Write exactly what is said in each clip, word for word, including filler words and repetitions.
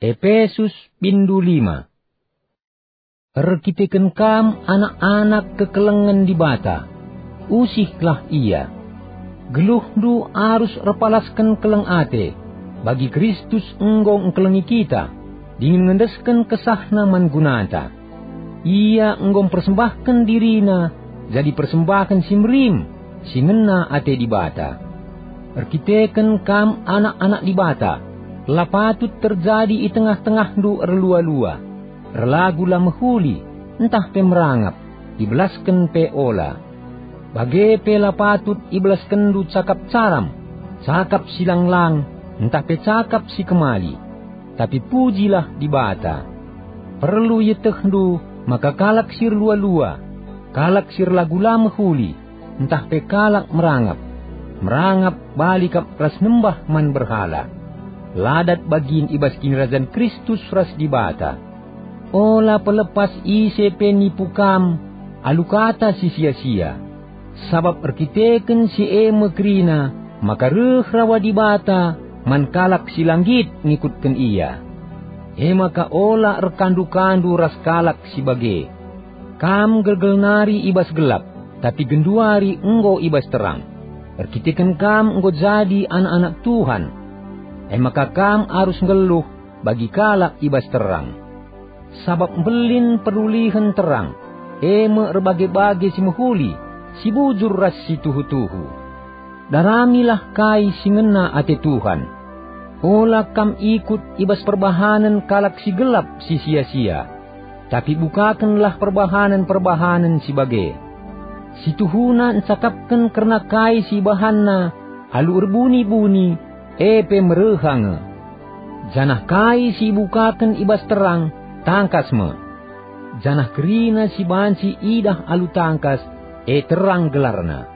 Epesus, bindu lima. Erkiteken kam anak-anak kekelengen Dibata, usihlah ia. Geluhndu arus erpalasken keleng ate, bagi Kristus enggo engkelengi kita, dingen ngendesken kesahNa man gunata. Ia enggo mpersembahken diriNa jadi persembahen si merim, si ngena ate Dibata. Erkiteken kam anak-anak Dibata, la patut terjadi i tengah-tengahndu erlua-lua, erlagu la mehuli, ntah pe merangap, ibelasken pe ola. Bage pe la patut ibelaskenndu cakap caram, cakap si lang-lang, ntah pe cakap si kemali. Tapi pujilah Dibata. Perlu ietehndu maka kalak si erlua-lua, kalak si erlagu la mehuli, ntah pe kalak merangap, merangap bali kap ras nembah man berhala. La dat bagin i bas kinirajan Kristus ras Dibata. Ola pelepas ise pe nipu kam alu kata si sia-sia. Sabap erkiteken si e me kerina maka reh rawa Dibata man kalak si la nggit ngikutken Ia. E maka ola erkandu-kandu ras kalak si bage. Kam gelgel nari i bas gelap, tapi genduari enggo i bas terang. Erkiteken kam enggo jadi anak-anak Tuhan, e maka kam arus nggeluh bagi kalak i bas terang. Sabap mbelin perulihen terang, e me erbage-bage si mehuli, si bujur ras si tuhu-tuhu. Daramilah kai si ngena ate Tuhan. Ola kam ikut i bas perbahanen kalak si gelap si sia-sia, tapi bukakenlah perbahanen-perbahanen si bage. Si tuhuna ncakapken kerna kai si ibahanna alu erbuni-buni, e pe mereha nge. Janah kai si ibukaken i bas terang, tangkas me. Janah kerina si banci idah alu tangkas, e terang gelarna.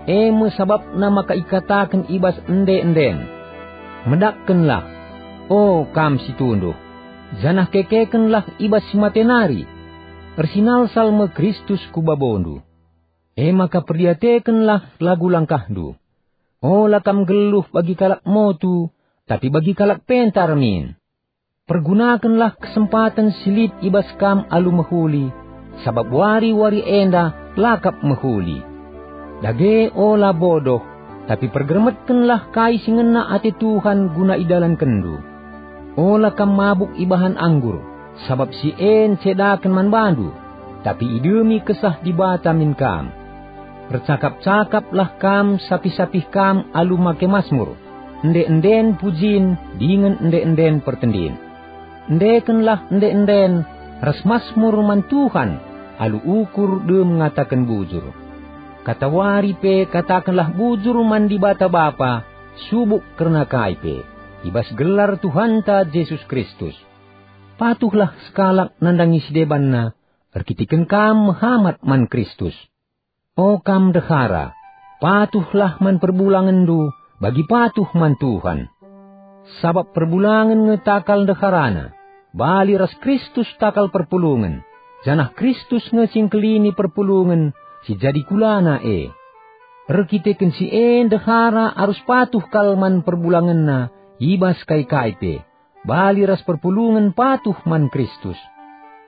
E me sabapna maka ikataken i bas ende-enden, "Medakkenlah, o kam si tunduh, janah kekekenlah i bas si mate nari. Ersinalsal me Kristus ku babondu." E maka perdiatekenlah lagu langkahndu. Ola kam nggeluh bagi kalak motu, tapi bagi kalak pentar min. Pergunakenlah kesempaten si lit i bas kam alu mehuli, sabap wari-wari enda la kap mehuli. Dage ola bodoh, tapi pergermetkenlah kai si ngena ate Tuhan guna idalankenndu. Ola kam mabuk ibahan anggur, sabap si e ncedaken man bandu, tapi idemi Kesah Dibata min kam. Ercakap-cakaplah kam sapih-sapih kam alu make masmur, ende-enden pujin dingen ende-enden pertendin. Endekenlah ende-enden ras masmur man Tuhan alu ukur dem ngataken bujur. Katawari pe katakenlah bujur man Dibata Bapa, subuk kerna kai pe, i bas gelar Tuhanta Jesus Kristus. Patuhlah sekalak nandangi si debanna, erkiteken kam mehamat man Kristus. O kam ndehara, patuhlah man perbulangenndu bagi patuh man Tuhan. Sabap perbulangen nge takal ndeharana, bali ras Kristus takal perpulungen, janah Kristus nge si ngkelini perpulungen si jadi kulana e. Erkiteken si e ndehara arus patuh kal man perbulangenna i bas kai-kai pe, bali ras perpulungen patuh man Kristus.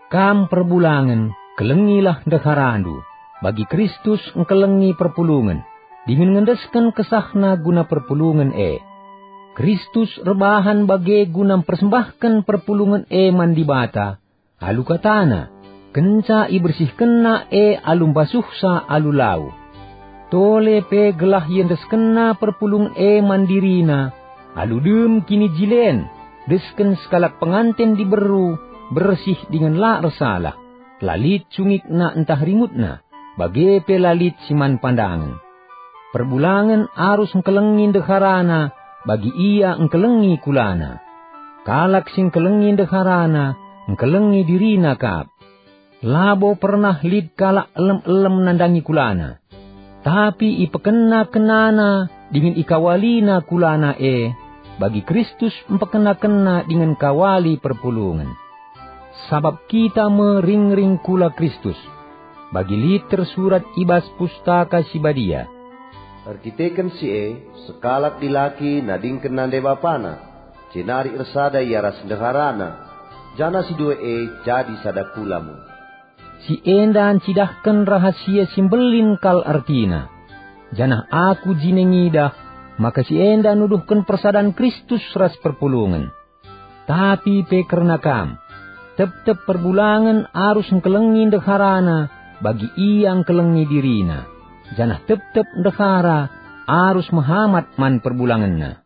Kam perbulangen, kelengilah ndeharandu, bagi Kristus engkelengi perpulungen, dingen ngendesken kesahna guna perpulungen e. Kristus erbahan bage guna mpersembahken perpulungen e man Dibata, alu katana, kenca ibersihkenna e alu mbasuhsa alu lau. Tole pe gelah iendeskenna perpulungen e man dirina, alu dem kinijilen, desken sekalak penganten diberu, bersih dingen la ersalah, la lit cungikna ntah ringutna, bage pe la lit si man pandangen. Perbulangen arus engkelengi ndeharana, bagi ia engkelengi kulana. Kalak si engkelengi ndeharana, engkelengi dirina kap. Labo pernah lit kalak elem-elem nandangi kulana. Tapi ipekenna-kennana dingen ikawalina kulana e, bagi Kristus mpekenna-kenna dingen kawali perpulungen. Sabap kita me ringring kula Kristus. Bagi lit tersurat i bas Pustaka Si Badia, "Erkiteken si e, sekalak dilaki nadingken nande bapana, jenari ersada ia ras ndeharana, janah si dua e jadi sada kula me. Si enda ncidahken rahasia si mbelin kal ertina. Janah aku jine ngidah maka si enda nuduhken persadan Kristus ras perpulungen. Tapi pe kerna kam, tep-tep perbulangen arus ngkelengi ndeharana bagi ia ngkelengi dirina, janah tep-tep ndehara arus mehamat man perbulangenna.